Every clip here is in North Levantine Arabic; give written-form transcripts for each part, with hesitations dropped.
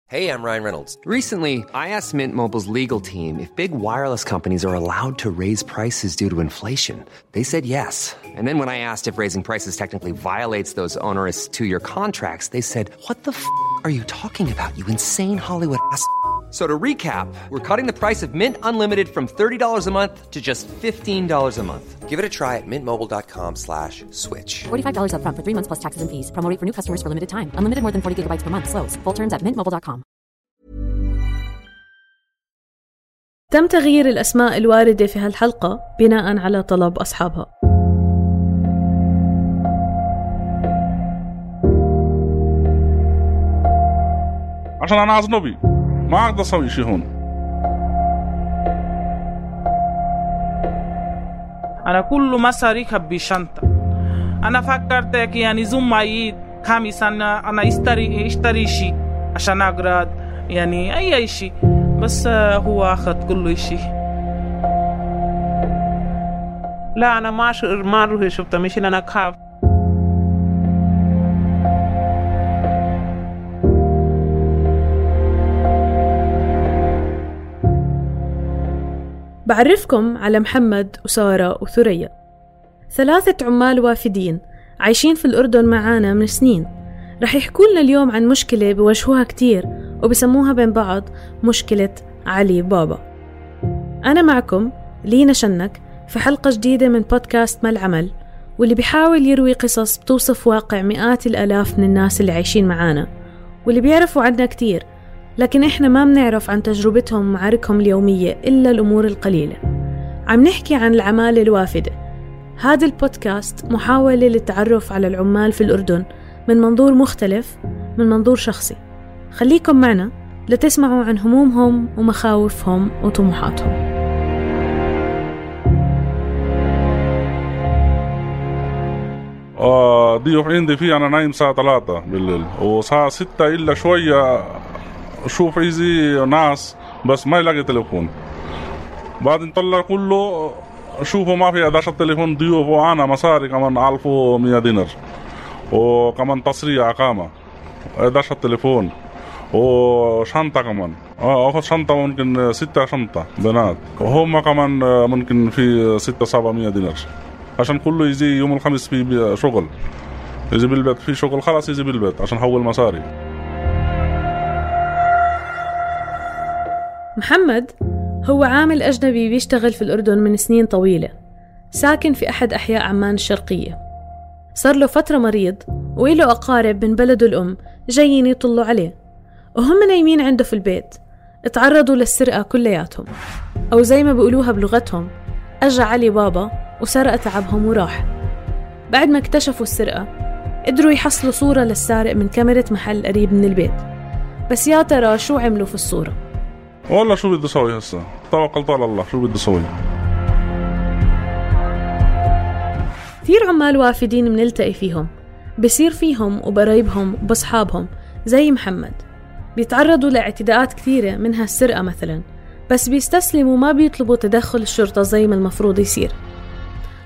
Hey, I'm Ryan Reynolds. Recently, I asked Mint Mobile's legal team if big wireless companies are allowed to raise prices due to inflation. They said yes. And then when I asked if raising prices technically violates those onerous two-year contracts, they said, "What the are you talking about, you insane Hollywood ass?" So to recap, we're cutting the price of Mint Unlimited from $30 a month to just $15 a month. Give it a try at mintmobile.com/switch. $45 up front for 3 months plus taxes and fees. Promo rate for new customers for limited time. Unlimited more than 40 gigabytes per month. Slows full terms at mintmobile.com. تم تغيير الأسماء الواردة في هالحلقة بناء على طلب أصحابها. عشان أنا أجنبي ما أقدر أسوي شيء هون. أنا كل مصاريف بشنطة. أنا فكرت يعني زوم معي كامي سنة أنا اشتري شيء عشان أقرأ يعني أي شيء بس هو أخذ كل شيء. لا أنا ما أروح شفته مش أنا أخاف. بعرفكم على محمد وسارة وثريا، 3 عمال وافدين عايشين في الأردن معانا من سنين. رح يحكوا لنا اليوم عن مشكلة بواجهوها كتير وبسموها بين بعض مشكلة علي بابا. أنا معكم لينا شنك في حلقة جديدة من بودكاست ما العمل، واللي بيحاول يروي قصص بتوصف واقع مئات الآلاف من الناس اللي عايشين معانا واللي بيعرفوا عنا كتير، لكن إحنا ما بنعرف عن تجربتهم ومعاركهم اليومية إلا الأمور القليلة. عم نحكي عن العمالة الوافدة. هذا البودكاست محاولة للتعرف على العمال في الأردن من منظور مختلف، من منظور شخصي. خليكم معنا لتسمعوا عن همومهم ومخاوفهم وطموحاتهم. ضيوف عندي فيه أنا نايم الساعة 3 بالليل وساعة 6 إلا شوية شوف عايزي ناس بس ما يلاقي تليفون. بعد نطلع كله شوفوا ما في 11 تليفون ضيوف وأنا مصاري كمان 1100 دينار وكمان تصريح أقامة 11 تليفون وشنطة كمان أخذ شنطة ممكن 6 شنطة بنات وهم كمان ممكن في 600-700 دينار عشان كله يجي يوم الخميس في شغل يجي بالبيت في شغل خلاص يجي بالبيت عشان حول مصاري. محمد هو عامل أجنبي بيشتغل في الأردن من سنين طويلة، ساكن في أحد أحياء عمان الشرقية. صار له فترة مريض وإله أقارب من بلده الأم جايين يطلوا عليه، وهم نايمين عنده في البيت اتعرضوا للسرقة كلياتهم، أو زي ما بيقولوها بلغتهم أجا علي بابا وسرق تعبهم وراح. بعد ما اكتشفوا السرقة قدروا يحصلوا صورة للسارق من كاميرا محل قريب من البيت، بس يا ترى شو عملوا في الصورة؟ والله شو بدي أسوي هسه توكلت على الله شو بدي أسوي. كثير عمال وافدين منلتقي فيهم، بصير فيهم وبقرايبهم وبصحابهم زي محمد بيتعرضوا لاعتداءات كثيرة منها السرقة مثلا، بس بيستسلموا وما بيطلبوا تدخل الشرطة زي ما المفروض يصير.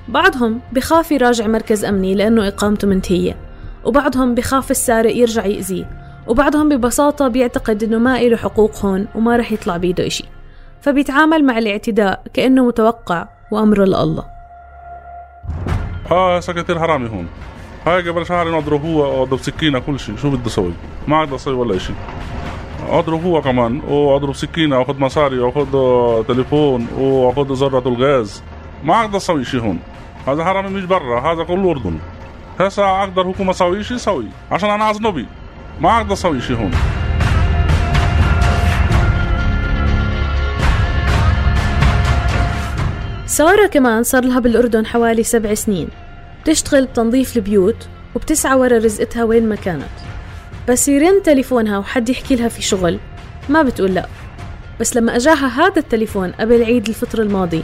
بعضهم بخاف يراجع مركز أمني لأنه إقامته منتهية، وبعضهم بخاف السارق يرجع يأذيه، وبعضهم ببساطة بيعتقد إنه ما إله حقوق هون وما رح يطلع بيده إشي، فبيتعامل مع الاعتداء كأنه متوقع وأمره لله. سكتير حرامي هون هاي قبل شهر نضرب هو وضرب سكينة كل شيء شو بدي أسوي ما أقدر أسوي ولا إشي. أضرب هو كمان وأضرب سكينة وأخذ مصاري وأخذ تليفون وأخذ ذرة الغاز ما أقدر أسوي شيء هون. هذا حرامي مش برا هذا كله أردن. هسا أقدر حكومة أسوي شيء سوي عشان أنا أجنبي ما أقدر أسوي شيء هون. سارة كمان صار لها بالأردن حوالي 7 سنين، بتشتغل بتنظيف البيوت وبتسعى ورا رزقتها وين ما كانت، بس يرن تليفونها وحد يحكي لها في شغل ما بتقول لا. بس لما أجاها هذا التليفون قبل عيد الفطر الماضي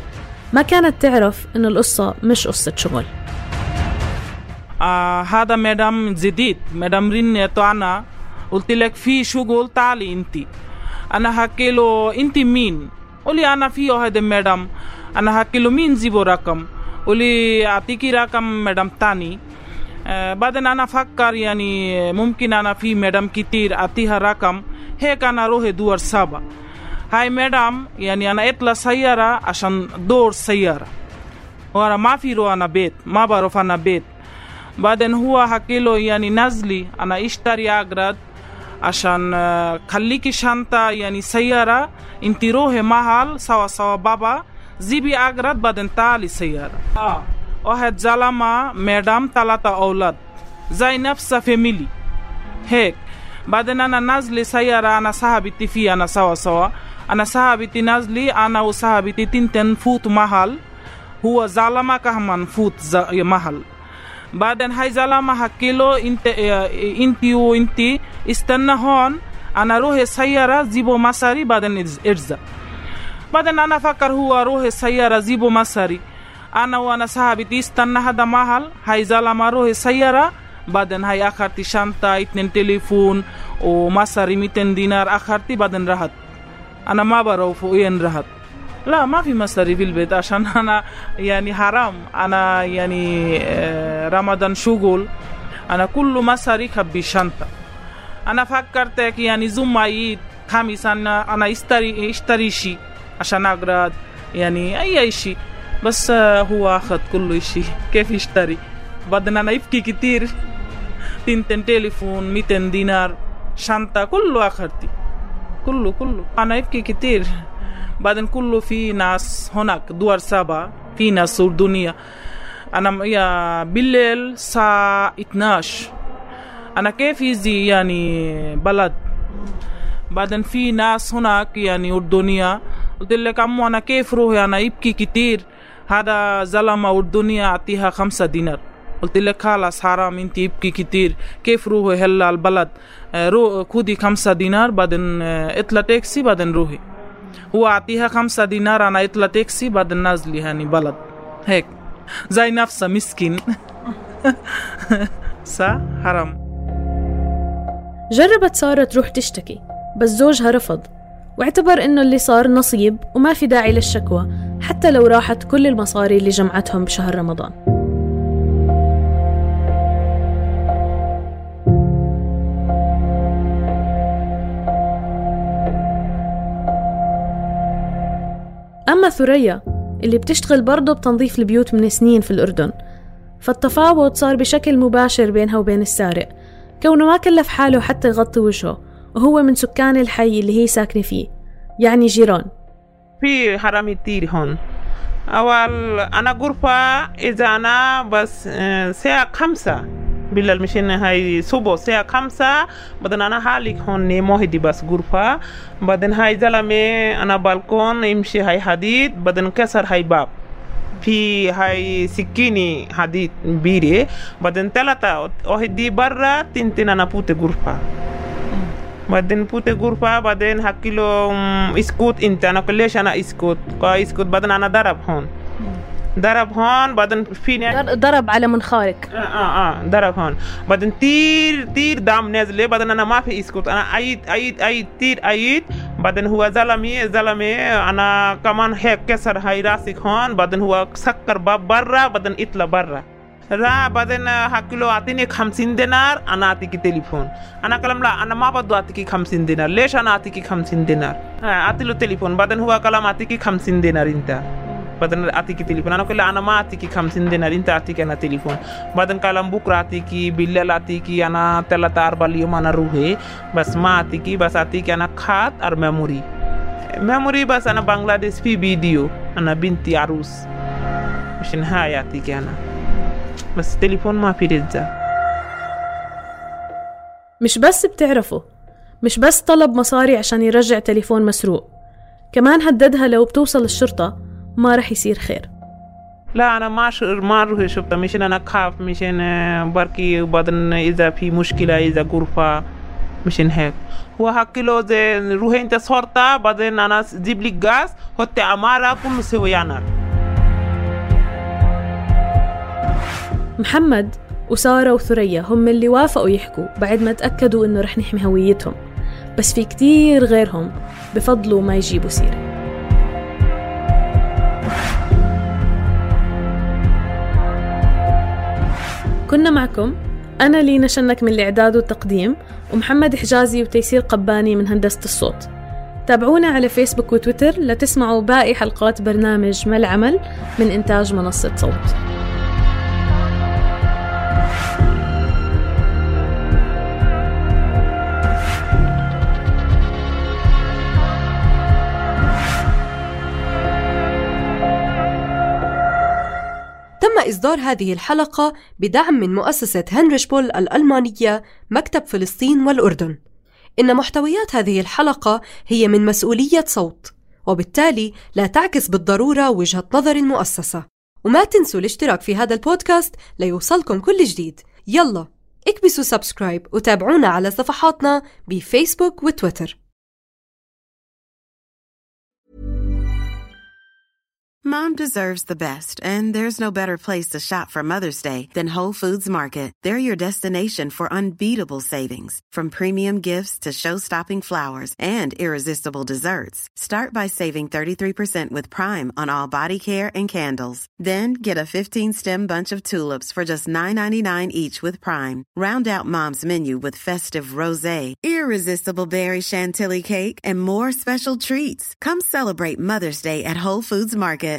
ما كانت تعرف إن القصة مش قصة شغل. هذا مدام جديد مدام رنت أنا قلت لك في شغل تعالي انتي. أنا حكي له انتي مين؟ قولي أنا فيه هذا مدام. أنا حكي له مين زيبو رقم؟ قولي أعطيكي رقم مدام تاني بعدين أنا فكر يعني ممكن أنا في مدام كتير أعطيها رقم هيك أنا أروح دور سابا. هاي مدام يعني أنا اطلع سيارة عشان دور سيارة وأنا ما في رو أنا بيت ما بعرف أنا بيت. بعدين هو حكي له يعني نزلي أنا اشتري أغراض عشان خليكي شنطة يعني سيارة انتي روحي محل سوا بابا زيبي أغراض بعدين تعالي سيارة. واحد زلمة مدام 3 أولاد زي نفسها فاميلي هيك. بعدين أنا نازلي سيارة أنا صاحبتي فيه أنا سوا أنا صاحبتي نازلي أنا وصاحبتي تنتن فوت محل هو زلمة كمان فوت محل. بعدين هاي زلمة حكي له انتي وانتي استنى هون أنا روح السيارة زيبو مصاري بعدين ارزا. بعدين أنا فكر هو روح السيارة زيبو مصاري أنا وأنا صاحبتي استنى هذا محل. هاي زلمة روح السيارة بعدين هاي أخرتي شنطة 2 تليفون ومصاري 200 دينار أخرتي بعدين رحت. أنا ما بعرف وين رحت. لا ما في مصاري في البيت عشان أنا يعني حرام أنا يعني رمضان شغل أنا كله مصاري خبي شنطة. أنا فكرت يعني زوم عيد خميس أنا اشتري شيء عشان أغراض يعني أي شيء بس هو أخذ كل شيء كيف يشتري. بعدين أنا يبكي كتير 2 تليفون 200 دينار شنطة كله أخذتي كله أنا يبكي كتير. بعدين كله في ناس هناك دور سابا في ناس أردنية. أنا يا بالليل الساعة 12 أنا كيف يزي يعني بلد. بعدين في ناس هناك يعني أردنية قلت لك أمو أنا كيف روحي أنا يبكي كتير. هذا زلمة أردنية أعطيها 5 دينار قلت لك خلاص حرام انت يبكي كتير كيف روحي هلا البلد خدي 5 دينار بعدين اطلع تاكسي بعدين روحي. هو أعطيها 5 دينار أنا اطلع تاكسي بعدين نازلي هاني بلد هيك زي نفسه مسكين. صح حرام. جربت سارة تروح تشتكي بس زوجها رفض واعتبر إنه اللي صار نصيب وما في داعي للشكوى حتى لو راحت كل المصاري اللي جمعتهم بشهر رمضان. أما ثريا اللي بتشتغل برضه بتنظيف البيوت من سنين في الأردن فالتفاوض صار بشكل مباشر بينها وبين السارق كونه ما كلف حاله حتى يغطي وجهه وهو من سكان الحي اللي هي ساكنة فيه يعني جيران. في حرامي كتير هون. أول أنا غرفة إذا أنا بس ساعة 5 بالليل مشين هاي صبح ساعة 5 بعدين أنا حالك هون موهدي بس غرفة بعدين هاي زلمة أنا بالكون يمشي هاي حديد بعدين كسر هاي باب في هاي سكيني حديد بيري بعدين 3 واحد برا 2 أنا بوت غرفة بعدين بوت غرفة بعدين حكي له اسكت انت أنا كلش أنا اسكت بعدين أنا ضرب هون بعدين فيني ضرب على منخارك ضرب هون بعدين تير دم نازله بعدين انا ما في اسكت انا عيد تير بعدين هو زلمي انا كمان هيك كسر هاي راسك هون بعدين هو سكر باب برا بعدين اطلع برا بعدين حكي له اعطيني 50 دينار انا اعطيك تليفون. انا كلام لا انا ما بدي اعطيك 50 دينار ليش انا اعطيك 50 دينار اعطي له تليفون بعدين هو كلام اعطيك 50 دينار انت بعدين أعطيكي تليفون. أنا كل أنا ما أعطيكي 50 دينار أنت أعطيك أنا تليفون. بعدين كلام بكرة أعطيكي بالليل أعطيكي أنا 3-4 اليوم أنا روحي بس ما أعطيكي بس أعطيك أنا خات أر ميموري بس أنا بنغلاديش في فيديو أنا بنتي عروس مشان هاي أعطيك أنا بس تليفون ما في رجع. مش بس بتعرفوا مش بس طلب مصاري عشان يرجع تليفون مسروق كمان هددها لو بتوصل الشرطة ما رح يصير خير. لا أنا ما أروح شفته مشان أنا خاف مشان بركي بعدين إذا في مشكلة إذا غرفة مشان هيك هو حكي له زي روحي أنت صورتها بعدين أنا جيب لك غاز حطي عمارة كله سويانا. محمد وسارة وثريا هم اللي وافقوا يحكوا بعد ما تأكدوا إنه رح نحمي هويتهم بس في كتير غيرهم بفضلوا ما يجيبوا سيرة. كنا معكم أنا لينا شنك من الإعداد والتقديم، ومحمد حجازي وتيسير قباني من هندسة الصوت. تابعونا على فيسبوك وتويتر لتسمعوا باقي حلقات برنامج ما العمل من إنتاج منصة صوت. تم إصدار هذه الحلقة بدعم من مؤسسة هنريش بول الألمانية مكتب فلسطين والأردن. إن محتويات هذه الحلقة هي من مسؤولية صوت، وبالتالي لا تعكس بالضرورة وجهة نظر المؤسسة. وما تنسوا الاشتراك في هذا البودكاست ليوصلكم كل جديد. يلا اكبسوا سبسكرايب وتابعونا على صفحاتنا بفيسبوك وتويتر. Mom deserves the best, and there's no better place to shop for Mother's Day than Whole Foods Market. They're your destination for unbeatable savings, from premium gifts to show-stopping flowers and irresistible desserts. Start by saving 33% with Prime on all body care and candles. Then get a 15-stem bunch of tulips for just $9.99 each with Prime. Round out Mom's menu with festive rosé, irresistible berry chantilly cake, and more special treats. Come celebrate Mother's Day at Whole Foods Market.